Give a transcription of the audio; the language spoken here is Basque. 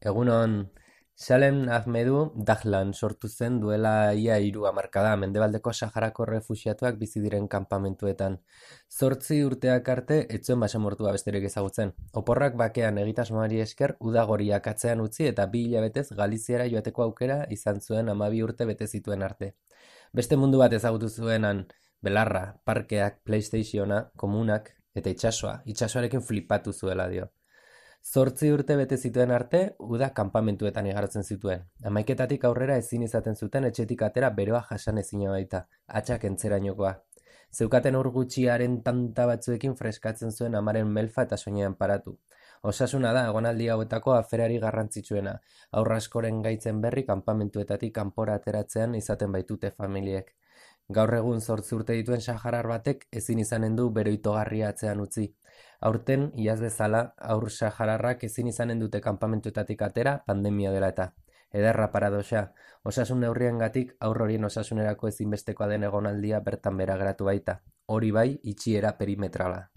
Egunon, Salem Ahmedu Dahlan sortu zen duela ia 3 hamarkada Mendebaldeko Saharako errefuxiatuak bizi diren kanpamentuetan. 8 urteak arte ez zuen basamortua besterik ezagutzen. Oporrak bakean egitasmoari esker udagoriak atzean utzi eta 2 hilabetez Galiziara joateko aukera izan zuen 12 urte bete zituen arte. Beste mundu bat ezagutu zuenan, belarra, parkeak, PlayStationa, komunak eta itsasoarekin flipatu zuela dio. 8 urte bete zituen arte, uda kanpamentuetan igarotzen zituen. Hamaiketatik aurrera ezin izaten zuten etxetik atera beroa jasan ezina baita, hatxak entzerainokoa. Zeukaten ur gutxiaren tanta batzuekin freskatzen zuen amaren melfa eta soinean paratu. Osasuna da egonaldi hauetako aferari garrantzitsuena, haur askoren gaitzen berri kanpamentuetatik kanpora ateratzean izaten baitute familiek. Gaur egun 8 urte dituen saharar batek ezin izanen du bero itogarria atzean utzi. Aurten, iaz bezala, haur sahararrak ezin izanen dute kanpamentuetatik atera pandemia dela eta. Ederra paradoxa, osasun neurriengatik haur horien osasunerako ezinbestekoa den egonaldia bertan behera geratu baita. Hori bai, itxiera perimetrala.